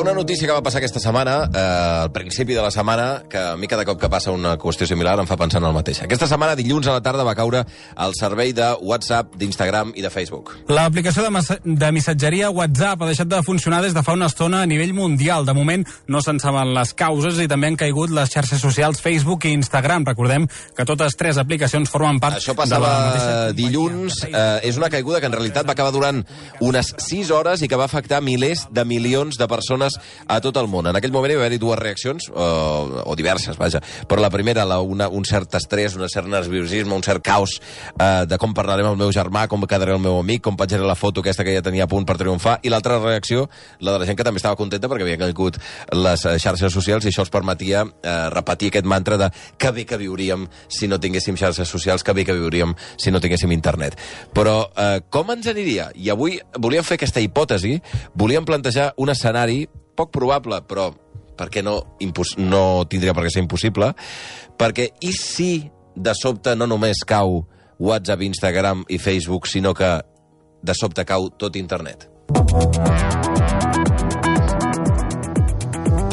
una notícia que va passar aquesta setmana, al principi de la setmana, que a mi cada cop que passa una qüestió similar em fa pensar en el mateix. Aquesta setmana, dilluns a la tarda, va caure el servei de WhatsApp, d'Instagram i de Facebook. L'aplicació de missatgeria WhatsApp ha deixat de funcionar des de fa una estona a nivell mundial. De moment no se'n saben les causes i també han caigut les xarxes socials Facebook i Instagram. Recordem que totes tres aplicacions formen part Això de la passava mateixa dilluns. És una caiguda que en realitat va acabar durant unes 6 hores i que va afectar milers de milions de persones a tot el món. En aquell moment hi va haver-hi dues reaccions, o diverses, vaja. Però la primera, un cert estrès, un cert nerviosisme, un cert caos de com parlaré amb el meu germà, com quedaré el meu amic, com penjaré la foto aquesta que ja tenia a punt per triomfar. I l'altra reacció, la de la gent que també estava contenta perquè havia caigut les xarxes socials i això els permetia repetir aquest mantra de que bé que viuríem si no tinguéssim xarxes socials, que bé que viuríem si no tinguéssim internet. Però com ens aniria? I avui volíem fer aquesta hipòtesi, volíem plantejar un escenari poc probable, però per què no tindria per què ser impossible, perquè i si de sobte no només cau WhatsApp, Instagram i Facebook, sinó que de sobte cau tot internet?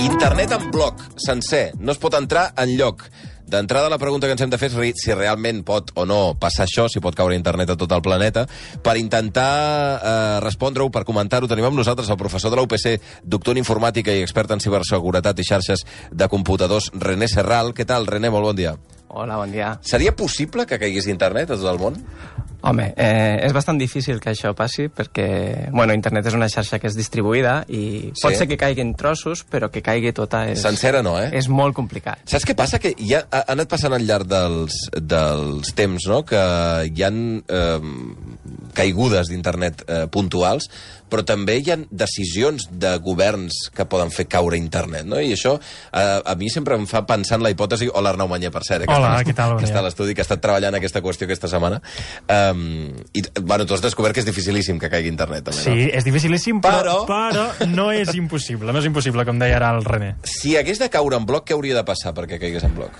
Internet en bloc, sencer, no es pot entrar enlloc. D'entrada, la pregunta que ens hem de fer és si realment pot o no passar això, si pot caure internet a tot el planeta. Per intentar respondre-ho, per comentar-ho, tenim amb nosaltres el professor de la UPC, doctor en informàtica i expert en ciberseguretat i xarxes de computadors, René Serral. Què tal, René? Molt bon dia. Hola, bon dia. Seria possible que caigués internet a tot el món? Home, és bastant difícil que això passi perquè, bueno, internet és una xarxa que és distribuïda i pot ser que caiguin trossos, però que caigui tota és... Sencera no, És molt complicat. Saps què passa? Que ja ha anat passant al llarg dels temps, no?, que hi ha caigudes d'internet puntuals, però també hi ha decisions de governs que poden fer caure internet, no? I això a mi sempre em fa pensar en la hipòtesi... Hola, Arnau Manyer, per cert. Hola, què tal? Que està a l'estudi, que ha estat treballant aquesta qüestió aquesta setmana. I, bueno, tu has descobert que és dificilíssim que caigui internet, també, no? Sí, és dificilíssim, però no és impossible. No és impossible, com deia ara el René. Si hagués de caure en bloc, què hauria de passar perquè caigués en bloc?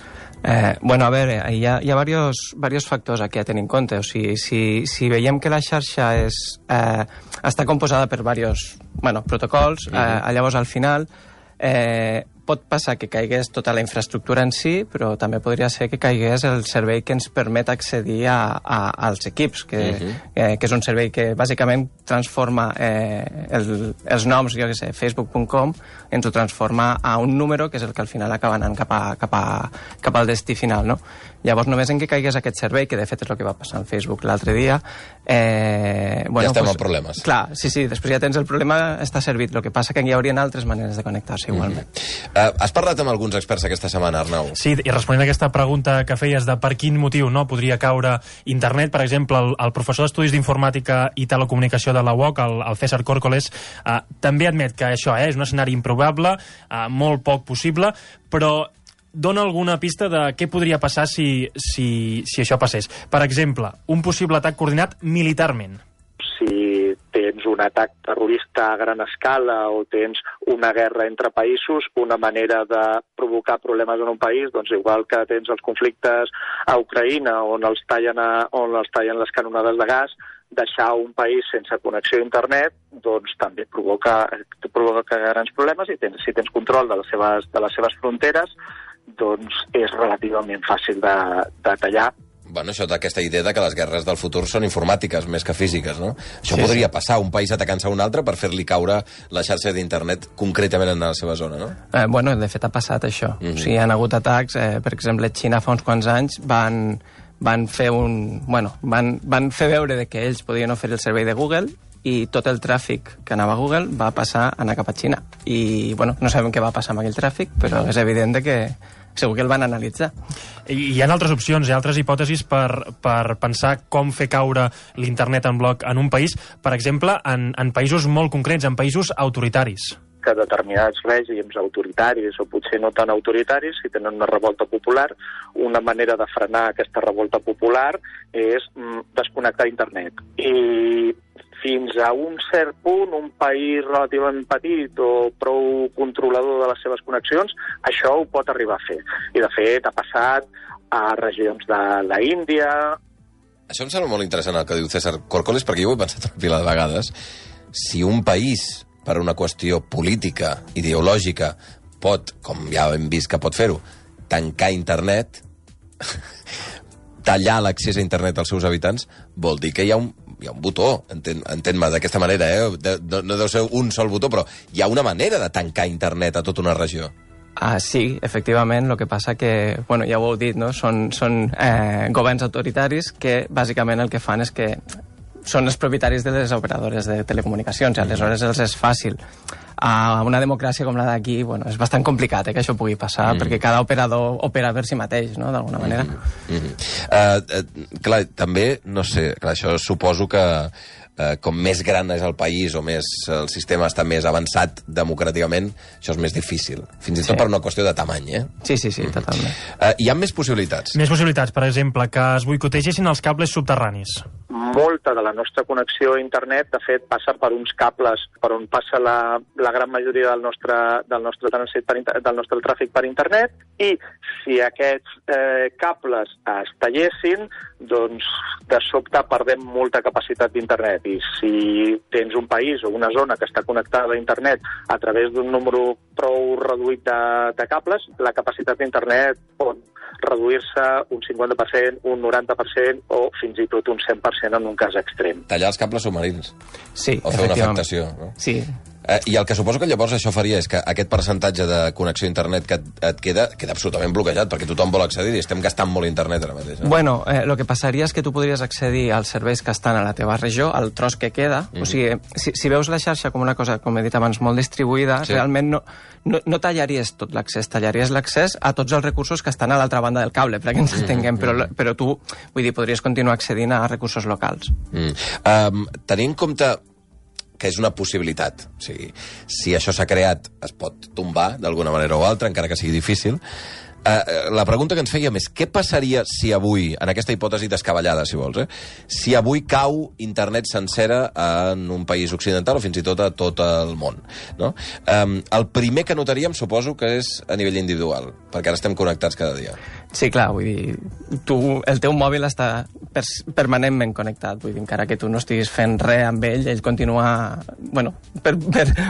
Bueno, a veure, hi ha diversos factors aquí a tenir en compte. O sigui, si veiem que la xarxa està composada per diversos protocols, llavors al final pot passar que caigués tota la infraestructura en si, però també podria ser que caigués el servei que ens permet accedir als equips, que és un servei que bàsicament transforma els noms, jo què sé, facebook.com, ens ho transforma a un número que és el que al final acaba anant cap al destí final, no? Llavors, només en què caigués aquest servei, que de fet és el que va passar amb Facebook l'altre dia... ja estem amb problemes. Clar, sí, després ja tens el problema, està servit. El que passa que hi haurien altres maneres de connectar-se igualment. Has parlat amb alguns experts aquesta setmana, Arnau? Sí, i responent a aquesta pregunta que feies de per quin motiu no podria caure internet, per exemple, el professor d'Estudis d'Informàtica i Telecomunicació de la UOC, el César Córcoles, també admet que això és un escenari improbable, molt poc possible, però dona alguna pista de què podria passar si això passés. Per exemple, un possible atac coordinat militarment. Si tens un atac terrorista a gran escala o tens una guerra entre països, una manera de provocar problemes en un país, doncs igual que tens els conflictes a Ucraïna on els tallen les canonades de gas, deixar un país sense connexió a internet doncs també provoca grans problemes i si tens control de les seves fronteres doncs és relativament fàcil de tallar. Bueno, això d'aquesta idea de que les guerres del futur són informàtiques més que físiques, no? Això podria passar, un país atacant-se a un altre per fer-li caure la xarxa d'internet concretament en la seva zona, no? Bueno, de fet ha passat això. O sigui, hi ha hagut atacs, per exemple, Xina fa uns quants anys van fer veure que ells podien oferir el servei de Google i tot el tràfic que anava a Google va passar a anar cap a Xina. I, bueno, no sabem què va passar amb aquell tràfic, però és evident que segur que el van analitzar. Hi ha altres opcions, hi ha altres hipòtesis per pensar com fer caure l'internet en bloc en un país, per exemple, en països molt concrets, en països autoritaris. Que determinats règims autoritaris o potser no tan autoritaris, si tenen una revolta popular, una manera de frenar aquesta revolta popular és desconnectar internet. I fins a un cert punt, un país relativament petit o prou controlador de les seves connexions, això ho pot arribar a fer. I de fet ha passat a regions de l'Índia. Això em sembla molt interessant el que diu César Córcoles, perquè jo ho he pensat una pila de vegades. Si un país per una qüestió política, ideològica, pot, com ja hem vist que pot fer-ho, tancar internet, tallar l'accés a internet als seus habitants, vol dir que hi ha un botó, entén-me d'aquesta manera, no deu ser un sol botó, però hi ha una manera de tancar internet a tota una regió. Sí, efectivament, el que passa que, bueno, ja ho heu dit, no? Són governs autoritaris que bàsicament el que fan és que són els propietaris de les operadores de telecomunicacions, i aleshores els és fàcil. A una democràcia com la d'aquí, bueno, és bastant complicat que això pugui passar, perquè cada operador opera per si mateix, no?, d'alguna manera. Clar, també, no sé, clar, això suposo que com més gran és el país o més el sistema està més avançat democràticament, això és més difícil. Fins i tot per una qüestió de tamany, Sí, totalment. Hi ha més possibilitats? Més possibilitats, per exemple, que es boicotegessin els cables subterranis. Molta de la nostra connexió a internet, de fet, passa per uns cables per on passa la gran majoria del nostre tràfic per internet, i si aquests cables es tallessin, doncs de sobte perdem molta capacitat d'internet. I si tens un país o una zona que està connectada a internet a través d'un número prou reduït de cables, la capacitat d'internet pot reduir-se un 50%, un 90% o fins i tot un 100% en un cas extrem. Tallar els cables submarins. Sí, o fer una afectació. No? Sí. I el que suposo que llavors això faria és que aquest percentatge de connexió a internet que et queda absolutament bloquejat, perquè tothom vol accedir i estem gastant molt internet ara mateix. No? Bueno, el que passaria és que tu podries accedir als serveis que estan a la teva regió, al tros que queda. O sigui, si veus la xarxa com una cosa, com he dit abans, molt distribuïda, realment no tallaries tot l'accés, tallaries l'accés a tots els recursos que estan a l'altra banda del cable, perquè ens entenguem, però tu, vull dir, podries continuar accedint a recursos locals. Tenint en compte que és una possibilitat. O sigui, si això s'ha creat, es pot tombar d'alguna manera o altra, encara que sigui difícil. La pregunta que ens fèiem és què passaria si avui, en aquesta hipòtesi descabellada, si vols, si avui cau internet sencera en un país occidental o fins i tot a tot el món, no? El primer que notaríem suposo que és a nivell individual, perquè ara estem connectats cada dia. Sí, clar, vull dir, el teu mòbil està permanentment connectat, vull dir, encara que tu no estiguis fent res amb ell continua, bueno, per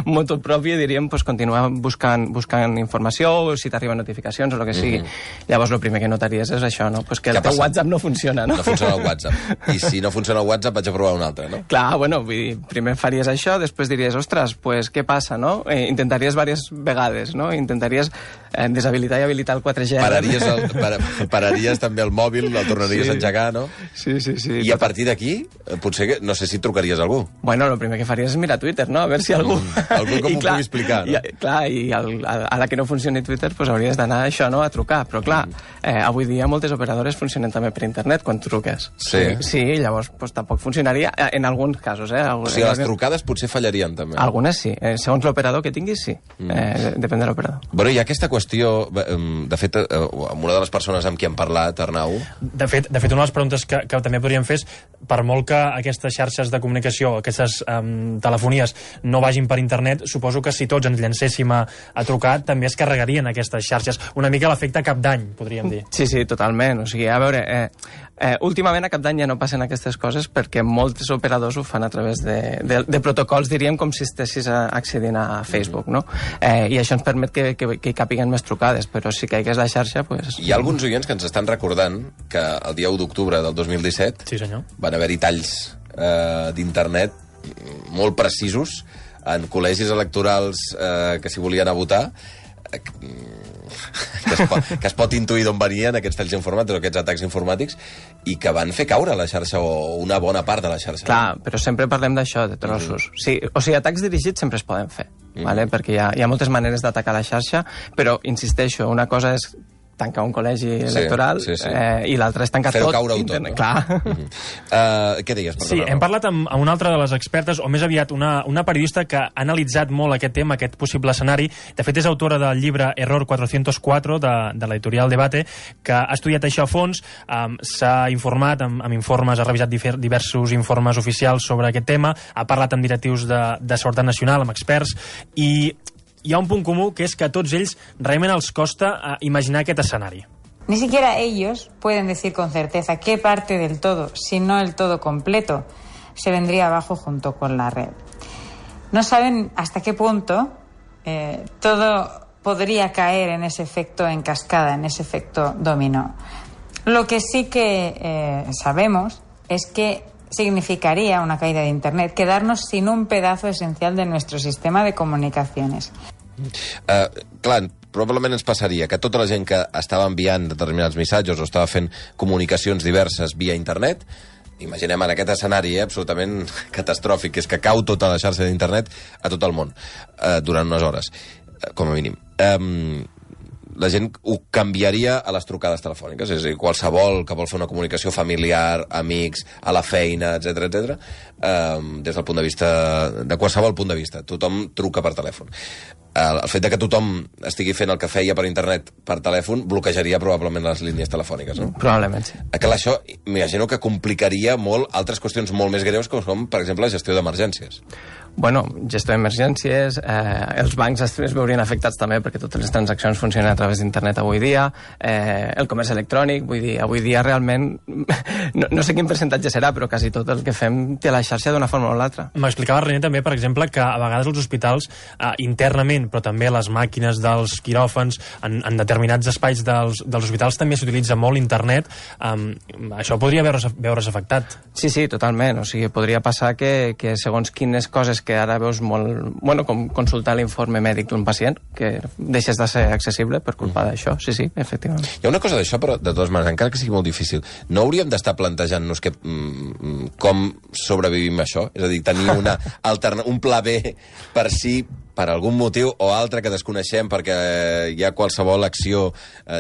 motu propi, diríem, pues, continua buscant informació, o si t'arriben notificacions o el que sigui. Llavors, el primer que notaries és això, no? Pues que el teu WhatsApp no funciona, no? No funciona el WhatsApp. I si no funciona el WhatsApp, vaig a provar un altre, no? Clar, bueno, vull dir, primer faries això, després diries, ostres, pues què passa, no? Intentaries diverses vegades, no? Intentaries deshabilitar i habilitar el 4G. Pararies també el mòbil, el tornaries a engegar, no? Sí. I a partir d'aquí, potser, no sé si trucaries a algú. Bueno, el primer que faries és mirar Twitter, no? A veure si algú... Algú que m'ho pugui explicar, no? Clar, i a la que no funcioni Twitter, pues hauries d'anar a això, no? A trucar. Però clar, avui dia moltes operadores funcionen també per internet quan truques. Sí, llavors pues, tampoc funcionaria en alguns casos, O sigui, les trucades potser fallarien també. Algunes sí. Segons l'operador que tinguis, sí. Depèn de l'operador. Bueno, hi ha aquesta qüestió, de fet, amb una de les persones amb qui hem parlat, Arnau... De fet, una de les preguntes que també podríem fer és, per molt que aquestes xarxes de comunicació, aquestes telefonies no vagin per internet, suposo que si tots ens llancéssim a trucar, també es carregarien aquestes xarxes. Una mica l'efecte cap d'any, podríem dir. Sí, totalment. O sigui, a veure, últimament a cap d'any ja no passen aquestes coses perquè molts operadors ho fan a través de protocols, diríem, com si estessis accedint a Facebook, no? I això ens permet que hi capiguen més trucades, però si caigués la xarxa, pues... Hi ha alguns oients que ens estan recordant que el dia 1 d'octubre del 2017 sí, senyor, van haver-hi talls d'internet molt precisos en col·legis electorals que s'hi volien a votar, que es pot intuir d'on venien aquests talls informàtics o aquests atacs informàtics, i que van fer caure la xarxa o una bona part de la xarxa. Clar, però sempre parlem d'això, de trossos. Sí, o sigui, atacs dirigits sempre es poden fer, vale? Perquè hi ha moltes maneres d'atacar la xarxa, però, insisteixo, una cosa és tancar un col·legi electoral i l'altre és tancar tot. Fer-ho caure internet. Clar. Què deies? Sí, hem parlat amb una altra de les expertes, o més aviat una periodista que ha analitzat molt aquest tema, aquest possible escenari. De fet, és autora del llibre Error 404 de l'editorial Debate, que ha estudiat això a fons, s'ha informat amb informes, ha revisat diversos informes oficials sobre aquest tema, ha parlat amb directius de Seguretat Nacional, amb experts, i hi ha un punt comú, que és que a tots ells realment els costa imaginar aquest escenari. Ni siquiera ellos pueden decir con certeza qué parte del todo, si no el todo completo, se vendría abajo junto con la red. no saben hasta qué punto todo podría caer en ese efecto en cascada, en ese efecto dominó. Lo que sí que sabemos es que significaría una caída de Internet quedarnos sin un pedazo esencial de nuestro sistema de comunicaciones. Clar, probablement ens passaria que tota la gent que estava enviant determinats missatges o estava fent comunicacions diverses via internet, imaginem en aquest escenari absolutament catastròfic, que és que cau tota la xarxa d'internet a tot el món durant unes hores, com a mínim. La gent ho canviaria a les trucades telefòniques, és a dir, qualsevol que vol fer una comunicació familiar, amics, a la feina, etc, des del punt de vista, de qualsevol punt de vista, tothom truca per telèfon. El fet de que tothom estigui fent el que feia per internet per telèfon bloquejaria probablement les línies telefòniques, no? Probablement, sí. Clar, això m'imagino que complicaria molt altres qüestions molt més greus, com per exemple la gestió d'emergències. Bueno, gestió d'emergències, els bancs es veurien afectats també perquè totes les transaccions funcionen a través d'internet avui dia, el comerç electrònic, vull dir, avui dia realment, no sé quin percentatge serà, però quasi tot el que fem té la xarxa d'una forma o l'altra. M'explicava René també, per exemple, que a vegades els hospitals internament, però també les màquines dels quiròfans, en determinats espais dels hospitals també s'utilitza molt internet. Això podria veure's afectat. Sí, totalment. O sigui, podria passar que segons quines coses que ara veus molt... Bueno, com consultar l'informe mèdic d'un pacient, que deixes de ser accessible per culpa d'això. Sí, efectivament. Hi ha una cosa d'això, però de totes maneres, encara que sigui molt difícil, no hauríem d'estar plantejant-nos com sobrevivim a això? És a dir, tenir un pla B per si per algun motiu o altre que desconeixem, perquè hi ha qualsevol acció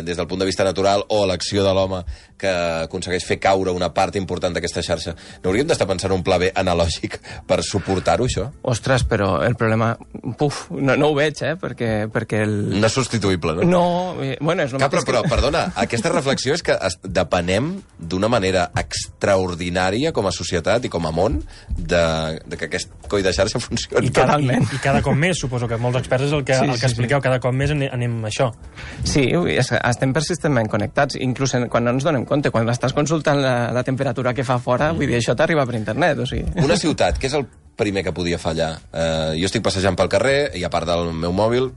des del punt de vista natural o l'acció de l'home que aconsegueix fer caure una part important d'aquesta xarxa. No hauríem d'estar pensant un pla B analògic per suportar-ho, això? Ostres, però el problema... no ho veig, perquè No és substituïble, no? No, bueno, és el mateix però, perdona, aquesta reflexió és que depenem d'una manera extraordinària com a societat i com a món de que aquest coll de xarxa funcioni. I cada cop més, suposo que molts experts és el que expliqueu, cada cop més anem a això. Sí, estem persistentment connectats, inclús quan no ens donem compte, quan estàs consultant la temperatura que fa fora, vull dir, això t'arriba per internet, o sigui. Una ciutat, què és el primer que podia fallar? Jo estic passejant pel carrer i a part del meu mòbil,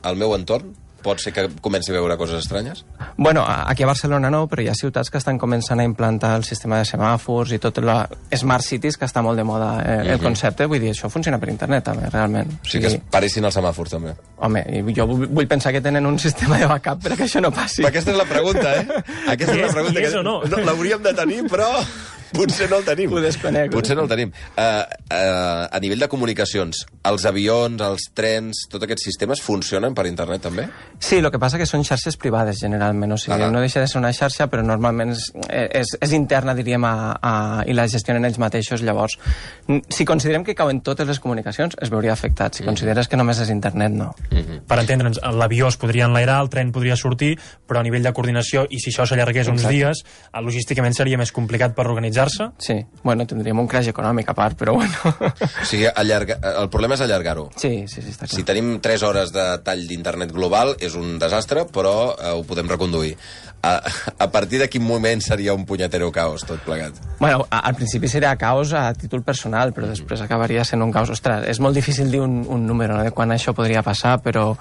el meu entorn, pot ser que comenci a veure coses estranyes? Bueno, aquí a Barcelona no, però hi ha ciutats que estan començant a implantar el sistema de semàfors i tot la Smart Cities, que està molt de moda el concepte. Vull dir, això funciona per internet, també, realment. O sigui que es paressin els semàfors, també. Home, jo vull pensar que tenen un sistema de backup perquè això no passi. Aquesta és la pregunta, Aquesta és la pregunta. I és o no? L'hauríem de tenir, però... Potser no el tenim. Ho desconec. Potser no el tenim. A nivell de comunicacions, els avions, els trens, tots aquests sistemes funcionen per internet també? Sí, el que passa que són xarxes privades, generalment. O sigui, no deixa de ser una xarxa, però normalment és interna, diríem, i la gestionen ells mateixos. Llavors, si considerem que cauen totes les comunicacions, es veuria afectat. Si consideres que només és internet, no. Per entendre'ns, l'avió es podria enlairar, el tren podria sortir, però a nivell de coordinació, i si això s'allargués uns dies, logísticament seria més complicat per organitzar-se. Sí, bueno, tindríem un crash econòmic a part, però bueno. O sigui, el problema és allargar-ho. Sí, està clar. Si tenim 3 hores de tall d'internet global, és un desastre, però ho podem reconduir. A partir de quin moment seria un punyetero caos, tot plegat? Bueno, al principi seria caos a títol personal, però després acabaria sent un caos. Ostres, és molt difícil dir un número, no?, de quan això podria passar, però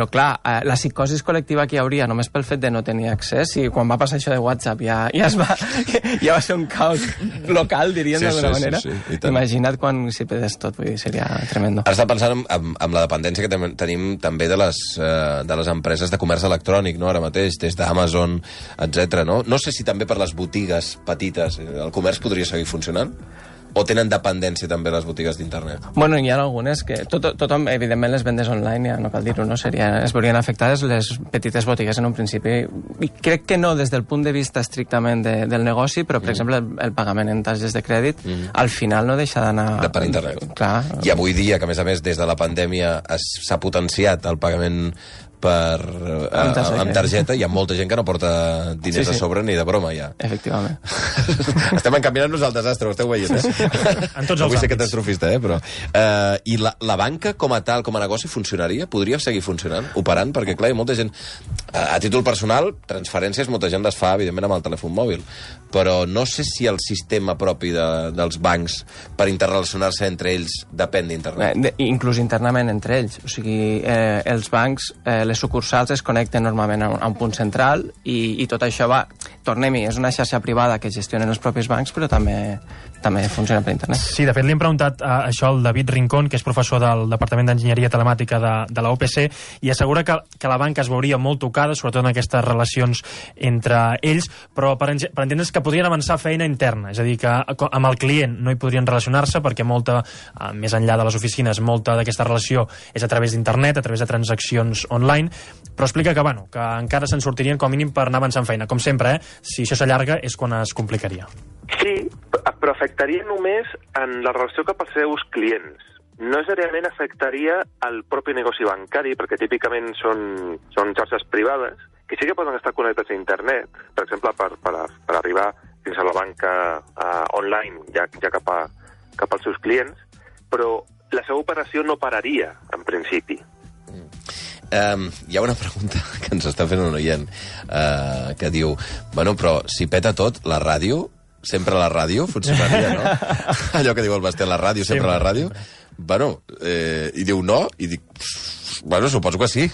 clar, la psicosi col·lectiva que hi hauria només pel fet de no tenir accés, i quan va passar això de WhatsApp ja va ser un caos local, diríem, d'alguna manera. Imagina't quan s'hi pedés tot, vull dir, seria tremendo. Ara està pensant en la dependència que tenim també de les empreses de comerç electrònic, no?, ara mateix, des d'Amazon, etc. No sé si també per les botigues petites el comerç podria seguir funcionant? O tenen dependència també les botigues d'internet? Bueno, hi ha algunes que... Tothom, evidentment, les vendes online, ja no cal dir-ho, no? Es veurien afectades les petites botigues en un principi. I crec que no des del punt de vista estrictament del negoci, però, per exemple, el pagament en targetes de crèdit, al final no deixa d'anar... Per internet. Clar. I avui dia, que a més, des de la pandèmia s'ha potenciat el pagament amb targeta. Hi ha molta gent que no porta diners a sobre ni de broma, ja. Efectivament. Estem encaminant-nos al desastre, ho esteu veient, En tots els no vull ser àmbits. catastrofista, però... I la banca, com a tal, com a negoci, funcionaria? Podria seguir funcionant, operant? Perquè, clar, hi ha molta gent... A títol personal, transferències molta gent les fa, evidentment, amb el telèfon mòbil. Però no sé si el sistema propi dels bancs per interrelacionar-se entre ells depèn d'internet. Inclús internament entre ells. O sigui, els bancs, les sucursals es connecten normalment a un punt central i tot això va... Tornem-hi, és una xarxa privada que gestionen els propis bancs, però també funciona per internet. Sí, de fet, li hem preguntat això al David Rincón, que és professor del Departament d'Enginyeria Telemàtica de la UPC, i assegura que la banca es veuria molt tocada, sobretot en aquestes relacions entre ells, però per entendre's que podrien avançar feina interna, és a dir, que amb el client no hi podrien relacionar-se perquè molta, més enllà de les oficines, molta d'aquesta relació és a través d'internet, a través de transaccions online, però explica que, bueno, que encara se'n sortirien com a mínim per anar avançant feina. Com sempre, si això s'allarga és quan es complicaria. Sí, però afectaria només en la relació cap als seus clients. No necessàriament afectaria el propi negoci bancari, perquè típicament són xarxes privades, que sí que poden estar connectats a internet, per exemple, per arribar fins a la banca online, ja cap als seus clients, però la seva operació no pararia, en principi. Hi ha una pregunta que ens està fent un oient que diu, bueno, però si peta tot, la ràdio, sempre la ràdio funcionaria, no? Allò que diu el Basté, la ràdio, sempre la ràdio. Bueno, i diu no, i dic, bueno, suposo que sí.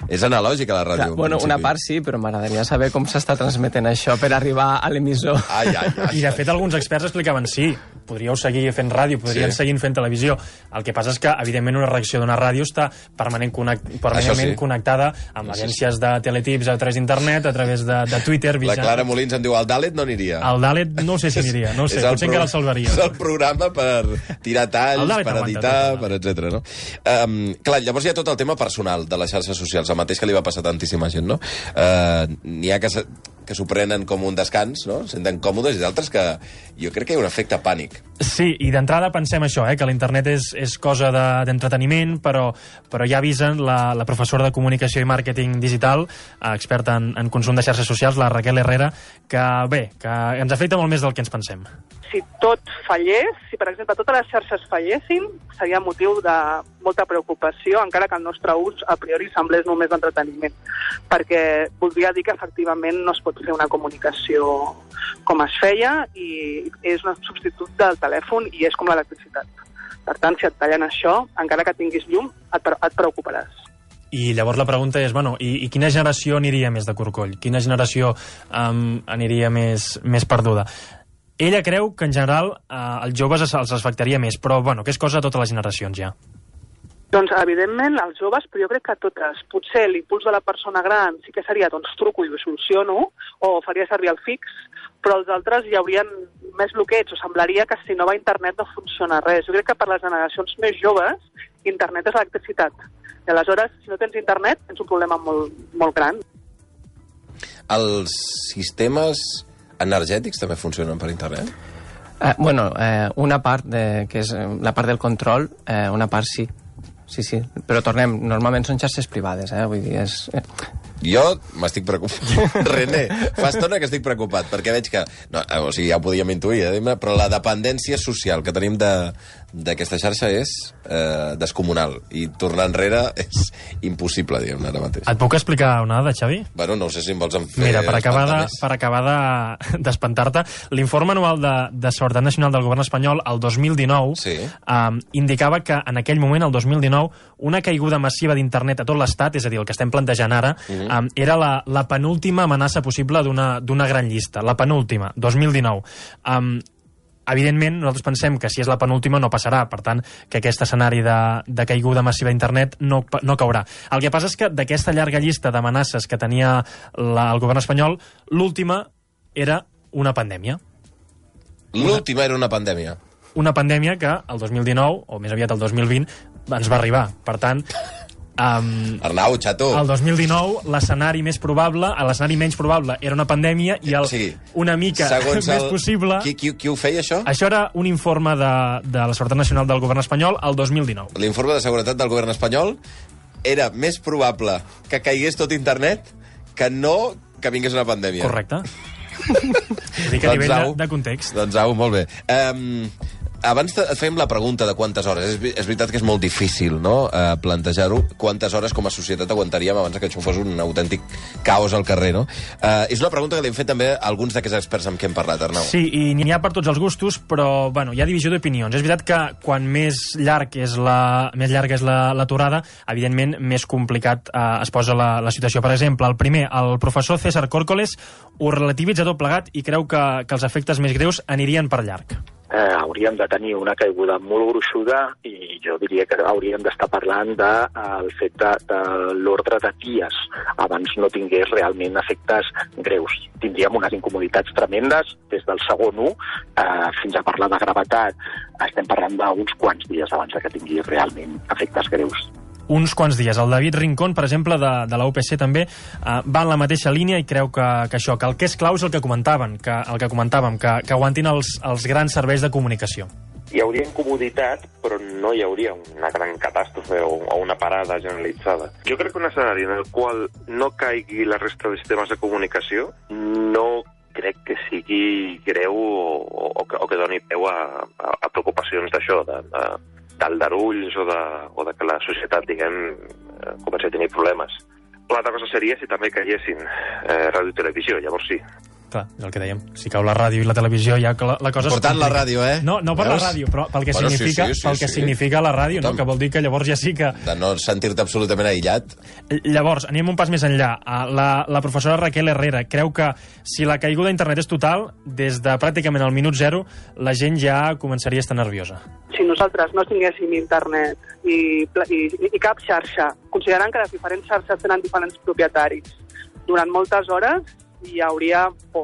És analògica la ràdio. Bueno, una part sí, però m'agradaria saber com s'està transmetent això per arribar a l'emissor. I de fet alguns experts explicaven sí, podríeu seguir fent ràdio, podrien seguir fent televisió. El que passa és que, evidentment, una reacció d'una ràdio està permanentment connectada amb agències de teletips a través d'internet, a través de Twitter. La Clara Molins em diu, el Dalet no aniria. El Dalet no sé si aniria, no sé, potser encara el salvaria. És el programa per tirar talls, per editar, per etc. No? Clar, llavors hi ha tot el tema personal de les xarxes socials, el mateix que li va passar a tantíssima gent, no? N'hi ha que s'ho prenen com un descans, no? Senten còmodes, i d'altres que jo crec que hi ha un efecte pànic. Sí, i d'entrada pensem això, que l'internet és cosa d'entreteniment, però ja avisen la professora de Comunicació i Màrqueting Digital, experta en consum de xarxes socials, la Raquel Herrera, que ens afecta molt més del que ens pensem. Si tot fallés, si per exemple totes les xarxes fallessin, seria motiu de molta preocupació, encara que el nostre ús a priori semblés només d'entreteniment, perquè voldria dir que efectivament no es pot fer una comunicació com es feia i és un substitut del telèfon i és com l'electricitat. Per tant, si et tallen això, encara que tinguis llum, et preocuparàs. I llavors la pregunta és, bueno, i quina generació aniria més de corcoll? Quina generació aniria més perduda? Ella creu que, en general, als joves els afectaria més, però, bueno, que és cosa de totes les generacions, ja. Doncs, evidentment, els joves, però jo crec que totes. Potser l'impuls de la persona gran sí que seria, doncs, truco i ho soluciono, o faria servir el fix, però els altres hi haurien més bloqueig, o semblaria que si no va a internet no funciona res. Jo crec que per les generacions més joves, internet és electricitat. I aleshores, si no tens internet, tens un problema molt, molt gran. Els sistemes energètics també funcionen per internet? Una part, que és la part del control, una part sí. Sí, però tornem, normalment són xarxes privades, vull dir, és... Jo m'estic preocupat. René, fa estona que estic preocupat, perquè veig que... No, o sigui, ja ho podíem intuir, però la dependència social que tenim d'aquesta xarxa és descomunal, i tornar enrere és impossible, diguem, ara mateix. Et puc explicar una dada, Xavi? Bueno, no sé si em vols fer... Mira, per acabar d'espantar-te, l'informe anual de Seguretat Nacional del Govern espanyol, el 2019, indicava que en aquell moment, el 2019, una caiguda massiva d'internet a tot l'estat, és a dir, el que estem plantejant ara, era la penúltima amenaça possible d'una gran llista. La penúltima, 2019. Evidentment, nosaltres pensem que si és la penúltima no passarà, per tant, que aquest escenari de caiguda massiva d'internet no caurà. El que passa és que d'aquesta llarga llista d'amenaces que tenia el govern espanyol, l'última era una pandèmia. L'última era una pandèmia? Una pandèmia que el 2019, o més aviat el 2020, ens va arribar. Per tant... Arnau, xato. El 2019, l'escenari més probable, l'escenari menys probable era una pandèmia i una mica més possible... Qui ho feia, això? Això era un informe de la Seguretat Nacional del Govern espanyol el 2019. L'informe de seguretat del Govern espanyol era més probable que caigués tot internet que no que vingués una pandèmia. Correcte. Dic a nivell de context. Doncs au, molt bé. Abans et fèiem la pregunta de quantes hores. És veritat que és molt difícil, no?, plantejar-ho. Quantes hores com a societat aguantaríem abans que això fos un autèntic caos al carrer, no? És una pregunta que li hem fet també a alguns d'aquests experts amb qui hem parlat, Arnau. Sí, i n'hi ha per tots els gustos, però bueno, hi ha divisió d'opinions. És veritat que quan més llarga és l'aturada, evidentment més complicat es posa la situació. Per exemple, el primer, el professor César Córcoles, ho relativitza tot plegat i creu que els efectes més greus anirien per llarg. Hauríem de tenir una caiguda molt gruixuda i jo diria que hauríem d'estar parlant del fet de l'ordre de dies abans no tingués realment efectes greus. Tindríem unes incomoditats tremendes des del segon 1 fins a parlar de gravetat. Estem parlant d'uns quants dies abans que tingui realment efectes greus. Uns quants dies. El David Rincón, per exemple, de la UPC també, va en la mateixa línia i creu que el que és clau és el que comentàvem, que aguantin els grans serveis de comunicació. Hi hauria incomoditat, però no hi hauria una gran catàstrofe o una parada generalitzada. Jo crec que un escenari en el qual no caigui la resta de sistemes de comunicació no crec que sigui greu o que doni peu a preocupacions d'això, d'aldarulls o de que la societat, diguem, comenci a tenir problemes. L'altra cosa seria si també caiguessin ràdio i televisió, llavors sí. Clar, és el que dèiem. Si cau la ràdio i la televisió, ja que la cosa... Important la ràdio, eh? No per la ràdio, però pel que significa la ràdio, no? Que vol dir que llavors ja sí que... De no sentir-te absolutament aïllat. Llavors, anem un pas més enllà. La professora Raquel Herrera creu que si la caiguda d'internet és total, des de pràcticament el minut 0, la gent ja començaria a estar nerviosa. Si nosaltres no tinguéssim internet i cap xarxa, considerant que les diferents xarxes tenen diferents propietaris, durant moltes hores hi hauria por.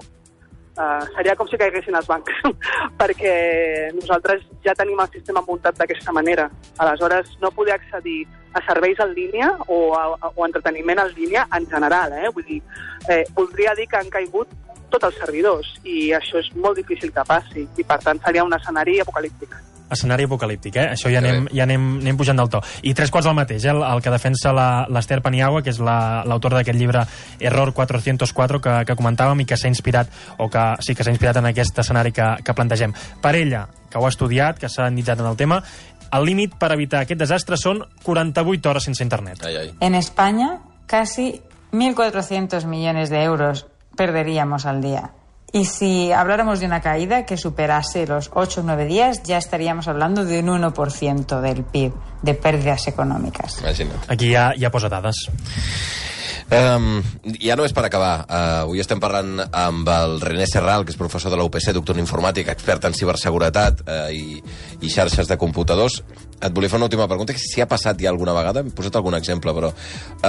Seria com si caiguessin els bancs, perquè nosaltres ja tenim el sistema muntat d'aquesta manera. Aleshores, no poder accedir a serveis en línia o entreteniment en línia en general. Vull dir, voldria dir que han caigut tots els servidors i això és molt difícil que passi i, per tant, seria un escenari apocalíptic. Escenari apocalíptic, Això ja anem pujant del to. I 3/4 del mateix, el que defensa l'Esther Paniagua, que és l'autora d'aquest llibre Error 404, que comentàvem i que s'ha inspirat, que s'ha inspirat en aquest escenari que plantegem. Per ella, que ho ha estudiat, que s'ha endinsat en el tema, el límit per evitar aquest desastre són 48 hores sense internet. En España, casi 1.400 millones de euros perderíamos al día. Y si habláramos de una caída que superase los 8 o 9 días, ya estaríamos hablando de un 1% del PIB, de pérdidas econòmiques. Imagina't. Aquí ja posa dades. Ja només per acabar, avui estem parlant amb el René Serral, que és professor de la UPC, doctor en informàtica, expert en ciberseguretat i xarxes de computadors. Et volia fer una última pregunta, que si ha passat ja alguna vegada, hem posat algun exemple, però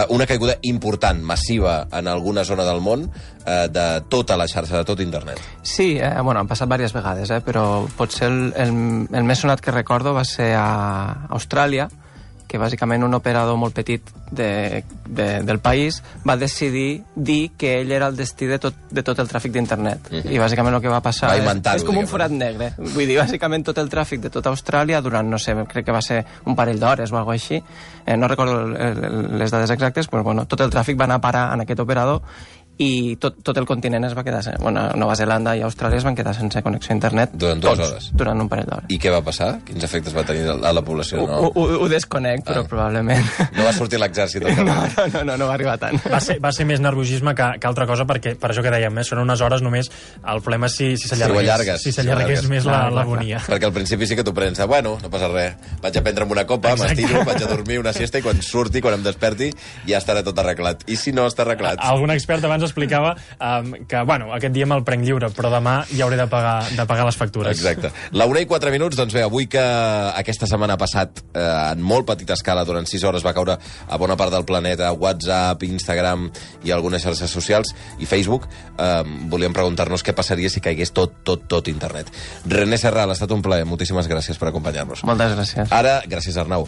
una caiguda important, massiva, en alguna zona del món, de tota la xarxa, de tot internet. Sí, han passat diverses vegades, però potser el més sonat que recordo va ser a Austràlia, que bàsicament un operador molt petit del país va decidir dir que ell era el destí de tot el tràfic d'internet. I bàsicament el que va passar és com un forat negre. Vull dir, bàsicament tot el tràfic de tota Austràlia durant, no sé, crec que va ser un parell d'hores o alguna cosa així, no recordo les dades exactes, però bueno, tot el tràfic va anar a parar en aquest operador i tot el continent es va quedar... Nova Zelanda i Austràlia es van quedar sense connexió a internet. Durant 2 hores? Durant un parell d'hores. I què va passar? Quins efectes va tenir a la població? Ho desconec, però probablement... No va sortir l'exèrcit? No va arribar tant. Va ser més nerviosisme que altra cosa, perquè per això que dèiem, són unes hores només. El problema és si s'allargués més l'agonia. Perquè al principi sí que t'ho prens, bueno, no passa res, vaig a prendre'm una copa, m'estiro, vaig a dormir una siesta i quan em desperti ja estarà tot arreglat. I si no està arreglat? Algun expert abans explicava que, aquest dia me'l prenc lliure, però demà ja hauré de pagar les factures. Exacte. La 1:04, doncs bé, avui que aquesta setmana ha passat en molt petita escala, durant 6 hores va caure a bona part del planeta, WhatsApp, Instagram i algunes xarxes socials, i Facebook, volíem preguntar-nos què passaria si caigués tot internet. René Serral, ha estat un plaer, moltíssimes gràcies per acompanyar-nos. Moltes gràcies. Ara, gràcies Arnau.